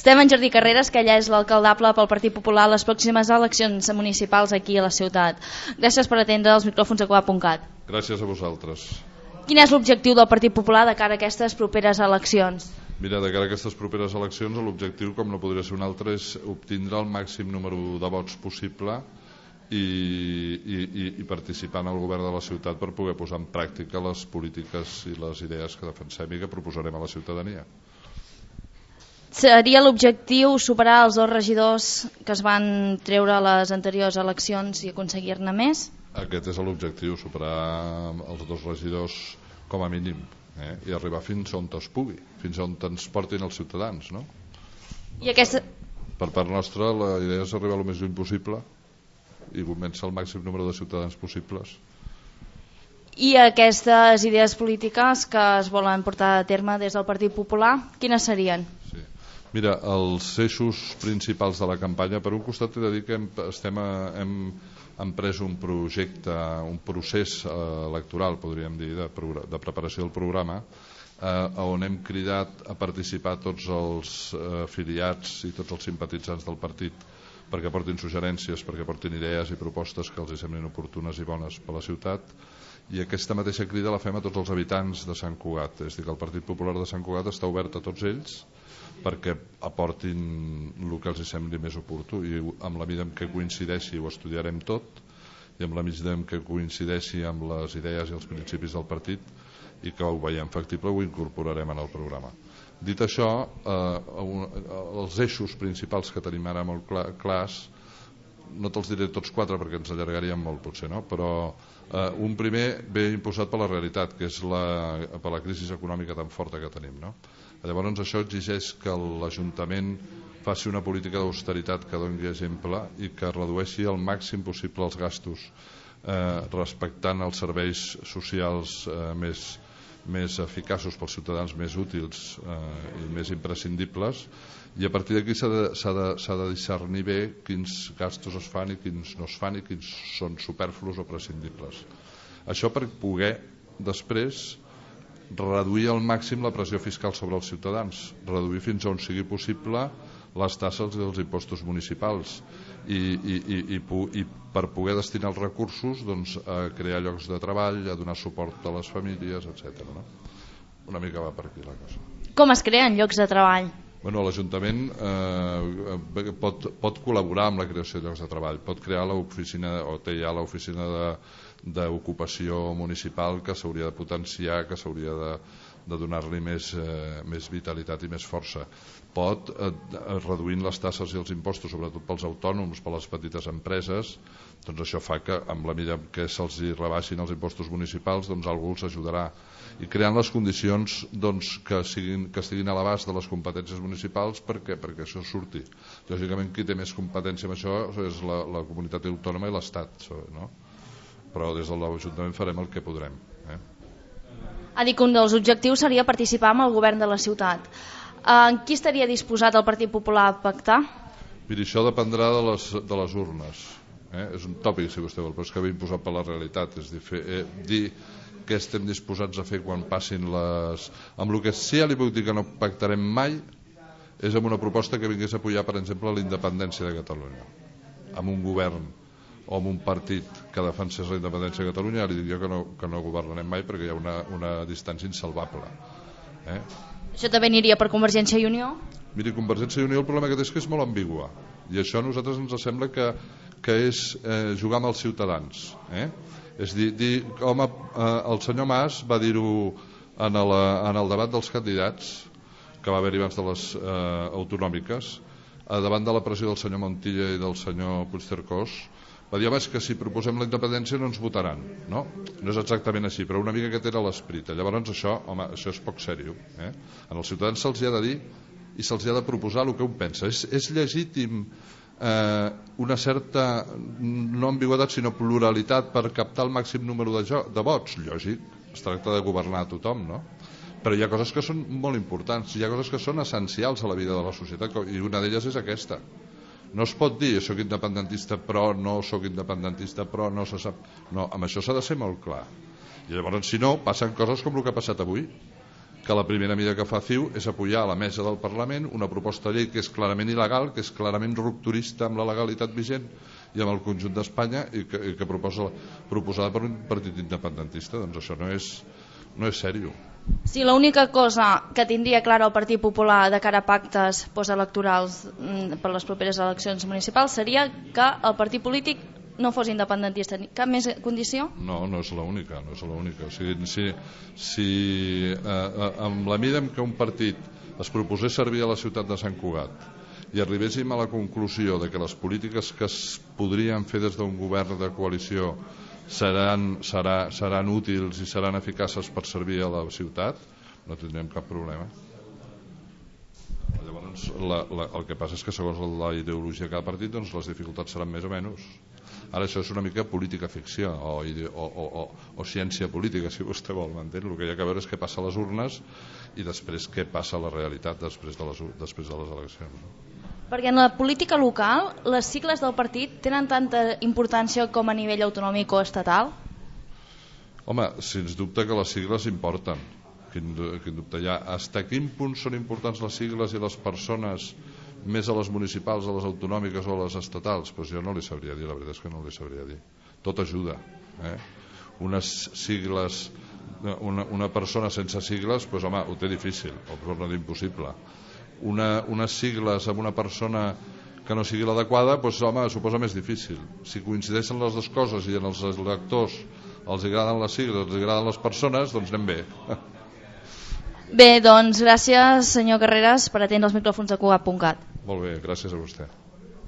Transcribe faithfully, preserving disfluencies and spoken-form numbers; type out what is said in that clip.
Estem en Jordi Carreras, que ella és l'alcaldable pel Partit Popular a les pròximes eleccions municipals aquí a la ciutat. Gràcies per atendre els micròfons de coap punt cat. Gràcies a vosaltres. Quin és l'objectiu del Partit Popular de cara a aquestes properes eleccions? Mira, de cara a aquestes properes eleccions l'objectiu, com no podria ser un altre, és obtindre el màxim número de vots possible i, i, i, i participar en el govern de la ciutat per poder posar en pràctica les polítiques i les idees que defensem i que proposarem a la ciutadania. Seria l'objectiu superar els dos regidors que es van treure a les anteriors eleccions i aconseguir-ne més? Aquest és l'objectiu, superar els dos regidors com a mínim, eh? I arribar fins on es pugui, fins on ens portin els ciutadans, no? I aquesta... Per part nostra la idea és arribar el més lluny possible i convèncer el màxim número de ciutadans possibles. I aquestes idees polítiques que es volen portar a terme des del Partit Popular, quines serien? Sí. Mira, els eixos principals de la campanya, per un costat he de dir que hem, estem a, hem, hem pres un projecte, un procés eh, electoral, podríem dir, de, de preparació del programa, eh, on hem cridat a participar tots els eh, afiliats i tots els simpatitzants del partit perquè portin suggerències, perquè portin idees i propostes que els semblin oportunes i bones per a la ciutat, i aquesta mateixa crida la fem a tots els habitants de Sant Cugat. És a dir, que el Partit Popular de Sant Cugat està obert a tots ells perquè aportin el que els sembli més oportú, i amb la mida en què coincideixi ho estudiarem tot, i amb la mida en què coincideixi amb les idees i els principis del partit i que ho veiem factible ho incorporarem en el programa. Dit això, eh, els eixos principals que tenim ara molt clar, clars, no te'ls diré tots quatre perquè ens allargaríem molt potser, no? Però eh, un primer ve imposat per la realitat, que és la, per la crisi econòmica tan forta que tenim, no? Llavors això exigeix que l'Ajuntament faci una política d'austeritat que doni exemple i que redueixi al màxim possible els gastos, eh, respectant els serveis socials eh, més, més eficaços pels ciutadans, més útils eh, i més imprescindibles, i a partir d'aquí s'ha de, s'ha de, s'ha de discernir bé quins gastos es fan i quins no es fan i quins són superflus o prescindibles. Això per poder després reduir al màxim la pressió fiscal sobre els ciutadans, reduir fins on sigui possible les tasses dels impostos municipals i, i, i, i, i per poder destinar els recursos doncs, a crear llocs de treball, a donar suport a les famílies, etcètera. No? Una mica va per aquí la cosa. Com es creen llocs de treball? Bueno, l'Ajuntament eh, pot, pot col·laborar amb la creació de llocs de treball, pot crear l'oficina, o té ja l'oficina de d'ocupació municipal que s'hauria de potenciar, que s'hauria de, de donar-li més, eh, més vitalitat i més força. Pot, eh, reduint les tasses i els impostos, sobretot pels autònoms, per les petites empreses, doncs això fa que, amb la mida que se'ls rebaixin els impostos municipals, doncs algú els ajudarà. I creant les condicions doncs, que, siguin, que estiguin a l'abast de les competències municipals perquè, perquè això surti. Lògicament, qui té més competència amb això és la, la comunitat autònoma i l'Estat, no? Però des de l'Ajuntament farem el que podrem. Eh? Ha dit que un dels objectius seria participar amb el govern de la ciutat. En qui estaria disposat el Partit Popular a pactar? Miri, això dependrà de les, de les urnes. Eh? És un tòpic, si vostè vol, però és que ve imposat per la realitat. És dir, fer, eh, dir què estem disposats a fer quan passin les... Amb el que sí ja li puc dir que no pactarem mai és amb una proposta que vingués a apoyar, per exemple, la independència de Catalunya. Amb un govern o amb un partit que defensés la independència de Catalunya, li diria que no, que no governarem mai perquè hi ha una, una distància insalvable. Eh? Això també aniria per Convergència i Unió? Miri, Convergència i Unió el problema que té és que és molt ambigua, i això a nosaltres ens sembla que, que és eh, jugar amb els ciutadans. Eh? És dir, dir home, eh, el senyor Mas va dir-ho en, la, en el debat dels candidats que va haver-hi abans de les eh, autonòmiques, eh, davant de la pressió del senyor Montilla i del senyor Puigcercós, va dir, home, és que si proposem la independència no ens votaran, no? No és exactament així, però una mica que era l'esperit. Llavors això, home, això és poc sèrio. Eh? En els ciutadans se'ls ha de dir i se'ls ha de proposar el que un pensa. És, és legítim eh, una certa, no ambigüitat, sinó pluralitat per captar el màxim número de, jo, de vots. Lògic, es tracta de governar a tothom, no? Però hi ha coses que són molt importants, hi ha coses que són essencials a la vida de la societat, i una d'elles és aquesta. No es pot dir soc independentista però no soc independentista però no se sap. No, amb això s'ha de ser molt clar. I llavors, si no, passen coses com el que ha passat avui, que la primera mida que fa C I U és apoyar a la mesa del Parlament una proposta de llei que és clarament il·legal, que és clarament rupturista amb la legalitat vigent i amb el conjunt d'Espanya i que, i que proposa, proposada per un partit independentista. Doncs això no és, no és sèrio. Sí, l'única cosa que tindria clara el Partit Popular de cara a pactes postelectorals per les properes eleccions municipals seria que el partit polític no fos independentista. Cap més condició? No, no és l'única, no és l'única. O sigui, si, si eh, amb la mida en què un partit es proposés servir a la ciutat de Sant Cugat i arribéssim a la conclusió de que les polítiques que es podrien fer des d'un govern de coalició seran, serà, seran útils i seran eficaces per servir a la ciutat, no tindrem cap problema. Llavors, la, la, el que passa és que segons la ideologia de cada partit, doncs les dificultats seran més o menys. Ara això és una mica política ficció o, o, o, o, o ciència política, si vostè vol, m'entén? El que hi ha que veure és què passa a les urnes i després què passa a la realitat després de les, després de les eleccions, no? Perquè en la política local les sigles del partit tenen tanta importància com a nivell autonòmic o estatal? Home, sens dubte que les sigles importen. Quin, quin dubte hi ha. Hasta quin punt són importants les sigles i les persones més a les municipals, a les autonòmiques o a les estatals? Pues jo no li sabria dir, la veritat és que no li sabria dir. Tot ajuda. Eh? Unes sigles, una, una persona sense sigles, pues, home, ho té difícil, o per no dir impossible. Una, unes sigles amb una persona que no sigui l'adequada, doncs, home, suposa més difícil. Si coincideixen les dues coses i en els electors els agraden les sigles, els agraden les persones, doncs anem bé. Bé, doncs gràcies senyor Carreras per atendre els micròfons de Cugat punt cat. Molt bé, gràcies a vostè.